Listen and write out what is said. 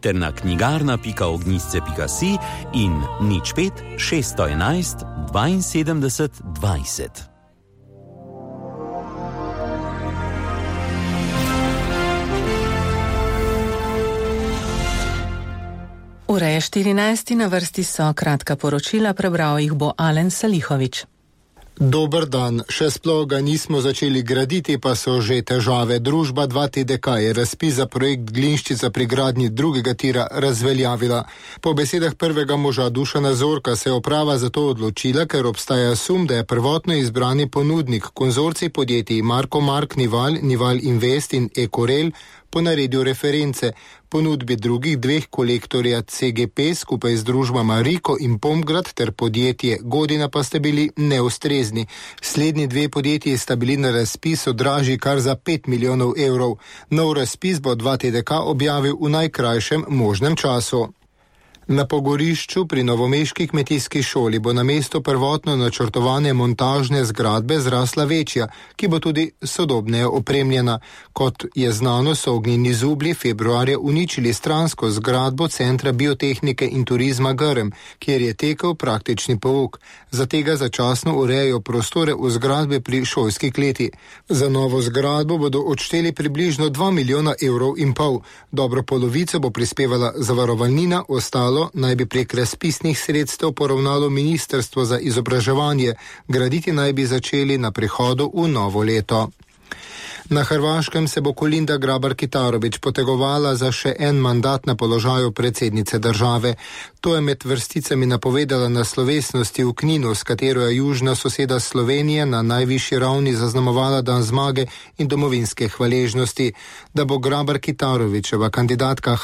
ter na knjigarna.ognisce.si in 05 611 72 20. Ura je 14, na vrsti so kratka poročila, prebral jih bo Alen Salihovič. Dober dan, še sploh ga nismo začeli graditi, pa so že težave. Družba 2TDK je razpis za projekt Glinščica pri gradnji drugega tira razveljavila. Po besedah prvega moža Dušana Zorka se je uprava zato odločila, ker obstaja sum, da je prvotno izbrani ponudnik konzorcij podjetij Marko Mark Nival, Nival Invest in Ekorel ponaredil reference. Ponudbi drugih dveh kolektorja CGP skupaj z družbama Riko in Pomgrad ter podjetje Godina pa sta bili neustrezni. Slednji dve podjetji sta bili na razpisu dražji kar za 5 milijonov evrov. Nov razpis bo 2TDK objavil v najkrajšem možnem času. Na pogorišču pri novomeški kmetijski šoli bo na mesto prvotno načrtovane montažne zgradbe zrasla večja, ki bo tudi sodobneje opremljena. Kot je znano, so ognjeni zublji februarja uničili stransko zgradbo Centra biotehnike in turizma Grm, kjer je tekel praktični pouk. Za tega začasno urejajo prostore v zgradbi pri šolski kleti. Za novo zgradbo bodo odšteli približno 2 milijona evrov in pol. Dobro polovico bo prispevala zavarovalnina, ostalo naj bi prek razpisnih sredstev poravnalo Ministrstvo za izobraževanje. Graditi naj bi začeli na prihodu v novo leto. Na Hrvaškem se bo Kolinda Grabar-Kitarović potegovala za še en mandat na položaju predsednice države. To je med vrsticami napovedala na slovesnosti v Kninu, s katero je južna soseda Slovenije na najvišji ravni zaznamovala dan zmage in domovinske hvaležnosti. Da bo Grabar-Kitarovićeva kandidatka